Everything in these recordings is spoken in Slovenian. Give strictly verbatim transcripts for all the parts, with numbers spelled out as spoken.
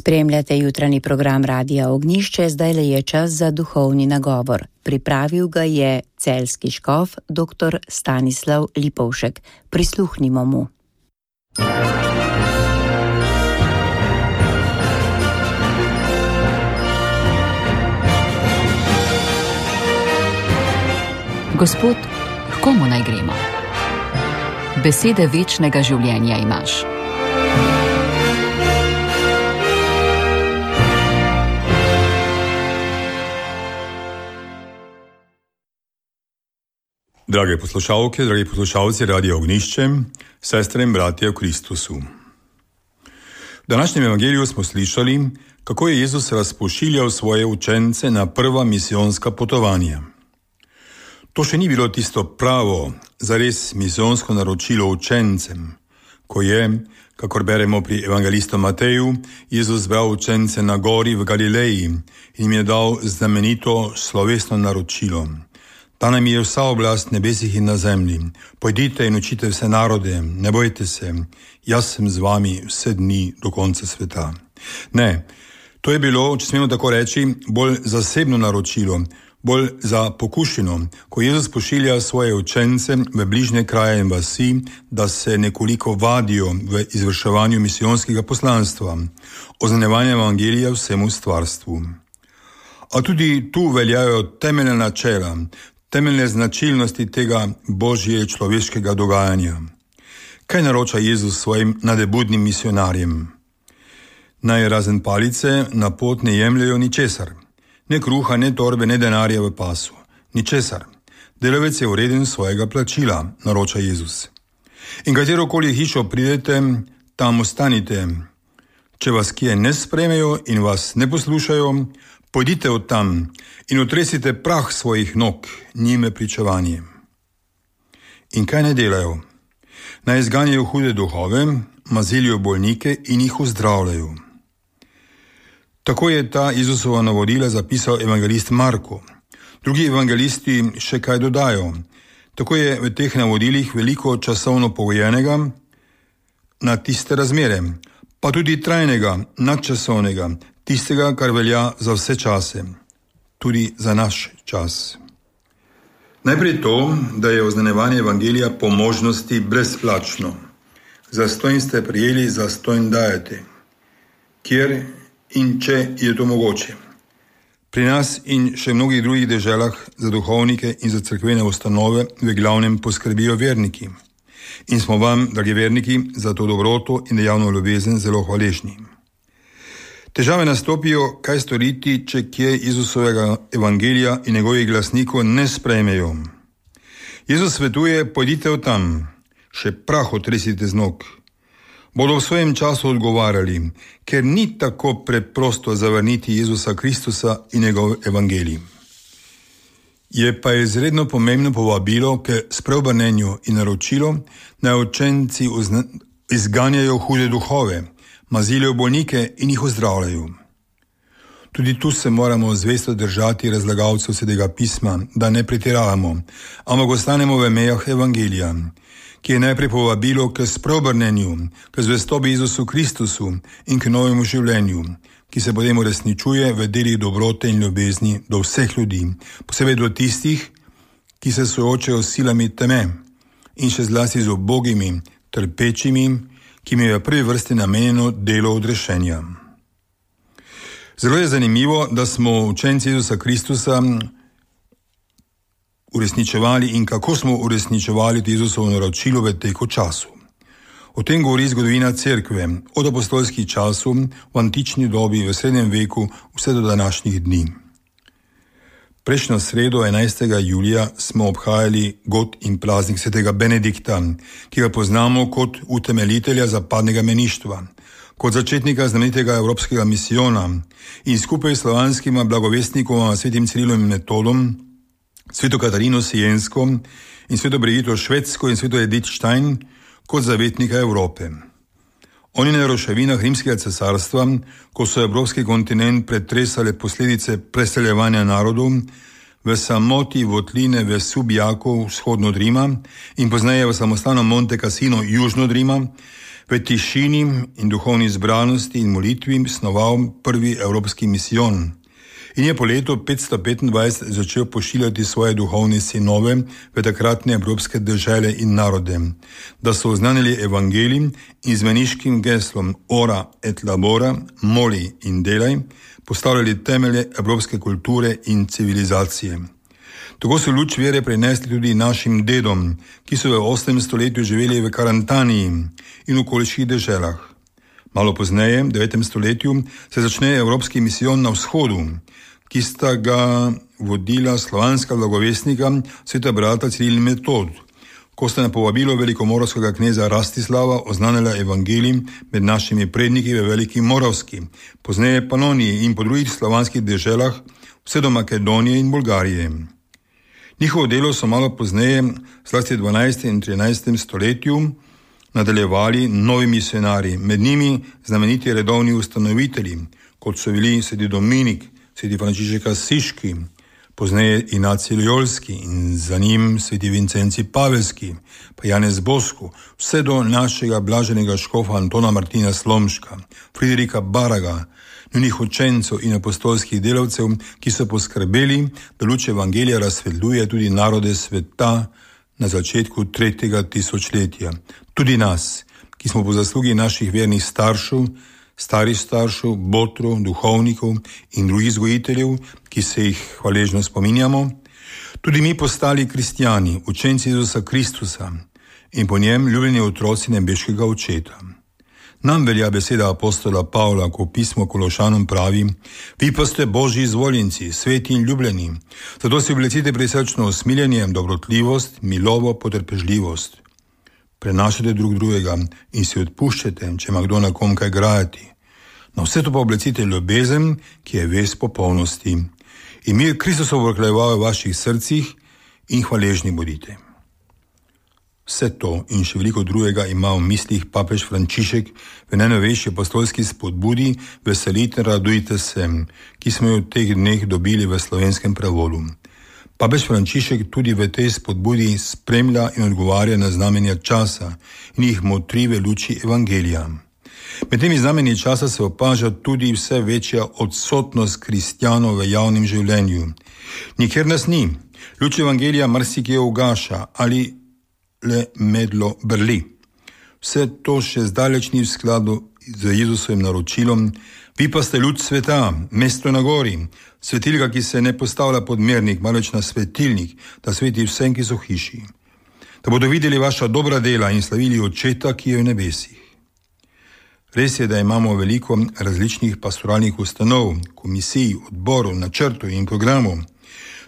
Spremljate jutranji program Radia Ognjišče, zdaj le je čas za duhovni nagovor. Pripravil ga je celjski škof dr. Stanislav Lipovšek. Prisluhnimo mu. Gospod, h komu naj gremo? Besede večnega življenja imaš. Drage poslušalke, dragi poslušalci Radia Ognjišče, sestre in bratje v Kristusu. V današnjem evangeliju smo slišali, kako je Jezus razpošiljal svoje učence na prva misijonska potovanja. To še ni bilo tisto pravo, zares misijonsko naročilo učencem, ko je, kakor beremo pri evangelistu Mateju, Jezus zbral učence na gori v Galileji in jim je dal znamenito slovesno naročilo. Ta nam je vsa oblast nebesih in na zemlji. Pojdite in učite vse narode, ne bojte se, jaz sem z vami vse dni do konca sveta. Ne, to je bilo, če smemo tako reči, bolj zasebno naročilo, bolj za pokušino, ko Jezus pošilja svoje učence v bližnje kraje in vasi, da se nekoliko vadijo v izvrševanju misijonskega poslanstva, oznanjevanja evangelija vsemu stvarstvu. A tudi tu veljajo temeljna načela, temeljne značilnosti tega božje človeškega dogajanja. Kaj naroča Jezus svojim nadebudnim misionarjem? Naj razen palice na pot ne jemljajo ničesar. Ne kruha, ne torbe, ne denarja v pasu. Ničesar. Delavec je vreden svojega plačila, naroča Jezus. In katerokoli hišo pridete, tam ostanite. Če vas kje ne sprejmejo in vas ne poslušajo, pojdite od tam in otresite prah svojih nog, njime pričevanje. In kaj ne delajo? Naj izganjajo hude duhove, mazilijo bolnike in jih ozdravljajo. Tako je ta Jezusova navodila zapisal evangelist Marko. Drugi evangelisti še kaj dodajo. Tako je v teh navodilih veliko časovno pogojenega na tiste razmere, pa tudi trajnega, nadčasovnega, tistega, kar velja za vse čase, tudi za naš čas. Najprej to, da je oznanjevanje evangelija po možnosti brezplačno. Zastonj ste prijeli, zastonj dajete. Kjer in če je to mogoče. Pri nas in še mnogih drugih deželah za duhovnike in za cerkvene ustanove v glavnem poskrbijo verniki. In smo vam, dragi verniki, za to dobroto in dejavno ljubezen zelo hvaležni. Težave nastopijo, kaj storiti, če kje Jezusovega evangelija in njegovih glasnikov ne sprejmejo. Jezus svetuje, pojdite od tam, še prah otresite z nog. Bodo v svojem času odgovarjali, ker ni tako preprosto zavrniti Jezusa Kristusa in njegov evangelij. Je pa izredno pomembno povabilo k spreobrnenju in naročilo, naj učenci izganjajo hude duhove, mazilijo bolnike in jih ozdravljajo. Tudi tu se moramo zvesto držati razlagalcev Svetega pisma, da ne pretiravamo, ampak ostanemo v mejah evangelija, ki je najprej povabilo k spreobrnenju, k zvestobi Jezusu Kristusu in k novemu življenju, ki se potem uresničuje v delih dobrote in ljubezni do vseh ljudi, posebej do tistih, ki se soočajo s silami teme in še zlasti z ubogimi, trpečimi, ki mi je v prvi vrsti namenjeno delo odrešenja. Zelo je zanimivo, da smo učenci Jezusa Kristusa uresničevali in kako smo uresničevali Jezusovo naročilo v teku času. O tem govori zgodovina cerkve, od apostolskih časov, v antični dobi, v srednjem veku, vse do današnjih dni. Prejšnjo sredo, enajstega julija, smo obhajali god in praznik svetega Benedikta, ki ga poznamo kot utemeljitelja zapadnega meništva, kot začetnika znamenitega evropskega misijona in skupaj s slovanskima blagovestnikoma svetim Cirilom in Metodom, sveto Katarino Siensko in sveto Brigito Švedsko in sveto Edith Stein kot zavetnika Evrope. Oni na ruševinah rimskega cesarstva, ko so evropski kontinent pretresale posledice preseljevanja narodov, v samoti votline v Subjaku vzhodno od Rima in pozneje v samostanu Monte Cassino južno od Rima, v tišini in duhovni zbranosti in molitvi snoval prvi evropski misijon in je po letu petsto petindvajset začel pošiljati svoje duhovne sinove v takratne evropske države in narode, da so oznanili evangelij in z meniškim geslom Ora et labora, moli in delaj, postavljali temelje evropske kulture in civilizacije. Tako so luč vere prenesli tudi našim dedom, ki so v osmem stoletju živeli v Karantaniji in okoliških deželah. Malo pozneje, v devetem stoletju, se začne evropski misijon na vzhodu, ki sta ga vodila slovanska blagovestnika sveta brata Ciril in Metod, ko sta na povabilo velikomoravskega kneza Rastislava oznanila evangelij med našimi predniki v Veliki Moravski, pozneje Panoniji in po drugih slovanskih deželah, vse do Makedonije in Bolgarije. Njihovo delo so malo pozneje, zlasti v dvanajstem in trinajstem stoletju, nadaljevali novi misionari, med njimi znameniti redovni ustanovitelji, kot so bili sveti Dominik, sveti Frančišek Asiški, pozneje Ignacij Loyolski in za njim sveti Vincenci Pavelski, pa Janez Bosco, vse do našega blaženega škofa Antona Martina Slomška, Friderika Baraga, njunih učencev in apostolskih delavcev, ki so poskrbeli, da luč evangelija razsvetljuje tudi narode sveta na začetku tretjega tisočletja. Tudi nas, ki smo po zaslugi naših vernih staršev, starih staršev, botrov, duhovnikov in drugih vzgojiteljev, ki se jih hvaležno spominjamo, tudi mi postali kristjani, učenci Jezusa Kristusa in po njem ljubljeni otroci nebeškega očeta. Nam velja beseda apostola Pavla, ko pismo Kološanom pravi: vi pa ste Božji izvoljenci, sveti in ljubljeni, zato si oblecite prisrčno usmiljenje, dobrotljivost, milovo, potrpežljivost. Prenašajte drug drugega in si odpuščajte, če ima kdo na kom kaj grajati. Na vse to pa oblecite ljubezen, ki je vez popolnosti. In mir Kristusov vrkljeval v vaših srcih in hvaležni bodite. Vse to in še veliko drugega ima v mislih papež Frančišek v najnovejši apostolski spodbudi Veselite, radujte se, ki smo jo v teh dneh dobili v slovenskem prevodu. Papež Frančišek tudi v tej spodbudi spremlja in odgovarja na znamenja časa in jih motri v luči evangelija. Med temi znamenji časa se opaža tudi vse večja odsotnost kristjanov v javnem življenju. Nikjer nas ni. Luč evangelija marsikje ugaša ali le medlo brli. Vse to še zdaleč ni v skladu z Jezusovim naročilom: vi pa ste luč sveta, mesto na gori, svetilka, ki se ne postavlja pod mernik, marveč na svetilnik, da sveti vsem, ki so v hiši, da bodo videli vaša dobra dela in slavili Očeta, ki je v nebesih. Res je, da imamo veliko različnih pastoralnih ustanov, komisij, odborov, načrtov in programov.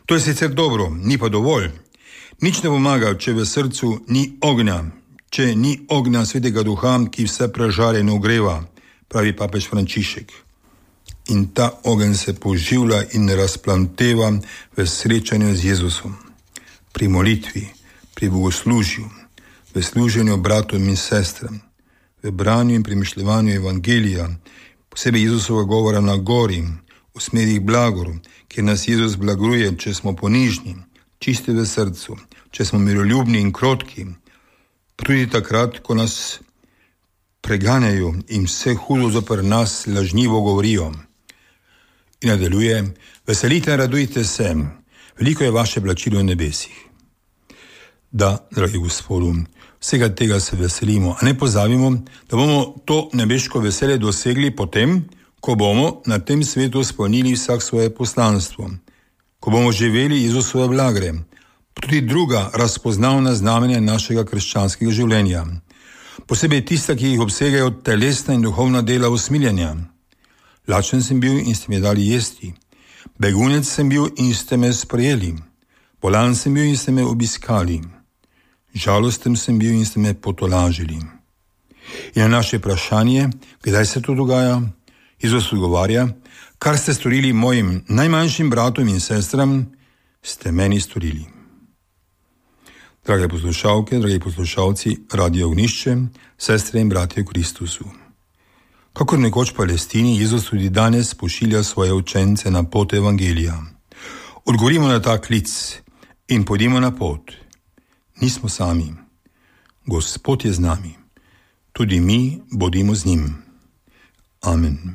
To je sicer dobro, ni pa dovolj. Nič ne pomaga, če v srcu ni ognja, če ni ognja Svetega Duha, ki vse prežare in ogreva, pravi papež Frančišek. In ta ogenj se poživlja in razplanteva v srečanju z Jezusom, pri molitvi, pri bogoslužju, v služenju bratom in sestram, v branju in premišljevanju evangelija, posebej Jezusova govora na gori, v smerih blagoru, kjer nas Jezus blaguje, če smo ponižni, čisti v srcu, če smo miroljubni in krotki, tudi takrat, ko nas preganjajo in vse hudo zoper nas lažnivo govorijo. In nadaljuje: veselite in radujte se, veliko je vaše plačilo v nebesih. Da, dragi Gospodu, vsega tega se veselimo, a ne pozabimo, da bomo to nebeško veselje dosegli potem, ko bomo na tem svetu spolnili vsak svoje poslanstvo, ko bomo živeli Jezusove blagre, tudi druga razpoznavna znamenja našega krščanskega življenja, posebej tista, ki jih obsegajo telesna in duhovna dela usmiljenja. Lačen sem bil in ste mi dali jesti, begunec sem bil in ste me sprejeli, bolan sem bil in ste me obiskali, žalosten sem bil in ste me potolažili. In na naše vprašanje, kdaj se to dogaja, Jezus odgovarja: kar ste storili mojim najmanjšim bratom in sestram, ste meni storili. Drage poslušalke, dragi poslušalci Radia Ognišče, sestre in bratje v Kristusu. Kakor nekoč v Palestini, Jezus tudi danes pošilja svoje učence na pot evangelija. Odgovorimo na ta klic in pojdimo na pot. Nismo sami. Gospod je z nami. tudi mi bodimo z njim. Amen.